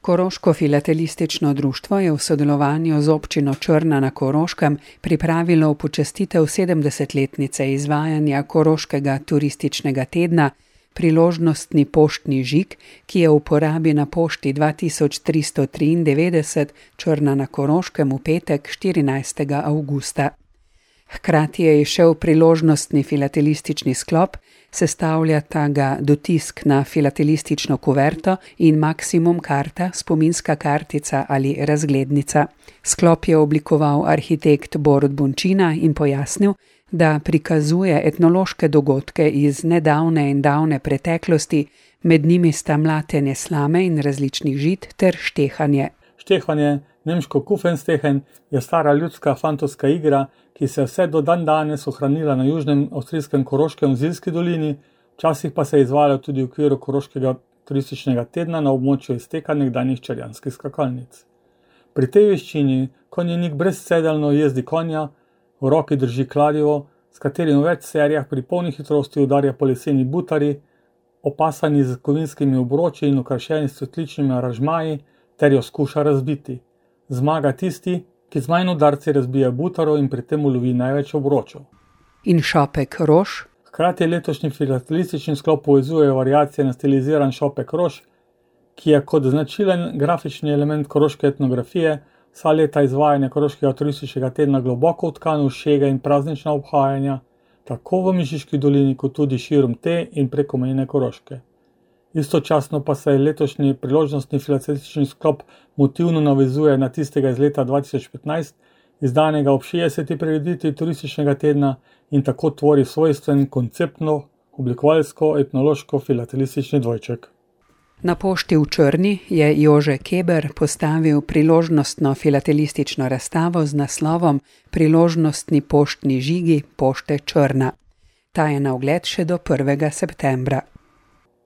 Koroško filatelistično društvo je v sodelovanju z občino Črna na Koroškem pripravilo v počastitev 70-letnice izvajanja Koroškega turističnega tedna priložnostni poštni žig, ki je v uporabi na pošti 2393 Črna na Koroškem v petek 14. avgusta. Hkrati je izšel priložnostni filatelistični sklop, sestavljata ga dotisk na filatelistično kuverto in maksimum karta, spominska kartica ali razglednica. Sklop je oblikoval arhitekt Borut Bončina in pojasnil, da prikazuje etnološke dogodke iz nedavne in davne preteklosti, med njimi sta mlatenje slame in različnih žit ter štehanje. Štehanje, nemško Kufenstehen, je stara ljudska fantovska igra, ki se je vse do danes ohranila na južnem avstrijskem Koroškem v Zilski dolini, včasih pa se je izvajala tudi v okviru Koroškega turističnega tedna na območju izteka nekdanjih čarjanskih skakalnic. Pri tej veščini konjenik brezsedeljno jezdi konja, v roki drži kladivo, s katerim v več serijah pri polni hitrosti udarja po leseni butari, opasani z kovinskimi obroči in okrašeni s cvetličnimi aranžmaji, ter jo skuša razbiti. Zmaga tisti, ki z manj udarci razbija butaro in pri tem ulovi največ obročev. In šopek rož? Hkrati letošnji filatelistični sklop povezuje variacije na stiliziran šopek rož, ki je kot značilen grafični element koroške etnografije vsa leta izvajanja Koroškega turističnega tedna globoko vtkan v šege in praznična obhajanja, tako v Mežiški dolini kot tudi širom te in preko mejne Koroške. Istočasno pa se letošnji priložnostni filatelistični sklop motivno navezuje na tistega iz leta 2015, izdanega ob 60. prireditvi turističnega tedna in tako tvori svojstven konceptno, oblikovalsko-etnološko filatelistični dvojček. Na pošti v Črni je Jože Keber postavil priložnostno filatelistično razstavo z naslovom Priložnostni poštni žigi pošte Črna. Ta je na ogled še do 1. septembra.